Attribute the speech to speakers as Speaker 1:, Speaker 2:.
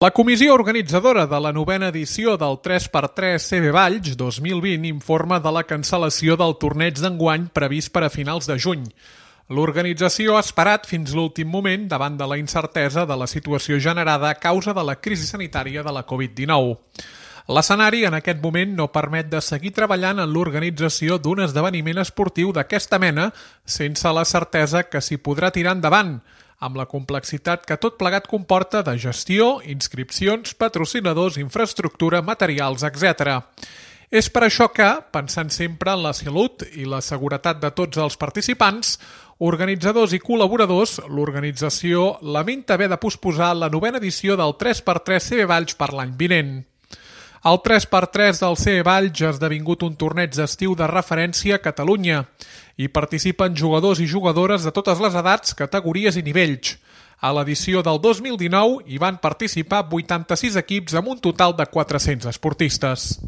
Speaker 1: La comissió organitzadora de la 9a edició del 3x3 CB Valls 2020 informa de la cancel·lació del torneig d'enguany previst per a finals de juny. L'organització ha esperat fins l'últim moment davant de la incertesa de la situació generada a causa de la crisi sanitària de la Covid-19. L'escenari en aquest moment no permet de seguir treballant en l'organització d'un esdeveniment esportiu d'aquesta mena sense la certesa que s'hi podrà tirar endavant, amb la complexitat que tot plegat comporta de gestió, inscripcions, patrocinadors, infraestructura, materials, etc. És per això que, pensant sempre en la salut i la seguretat de tots els participants, organitzadors i col·laboradors, l'organització lamenta haver de posposar la 9a edició del 3x3 CB Valls per l'any vinent. El 3x3 del CB Valls ha esdevingut un torneig d'estiu de referència a Catalunya. Hi participen jugadors i jugadores de totes les edats, categories i nivells. A l'edició del 2019 hi van participar 86 equips amb un total de 400 esportistes.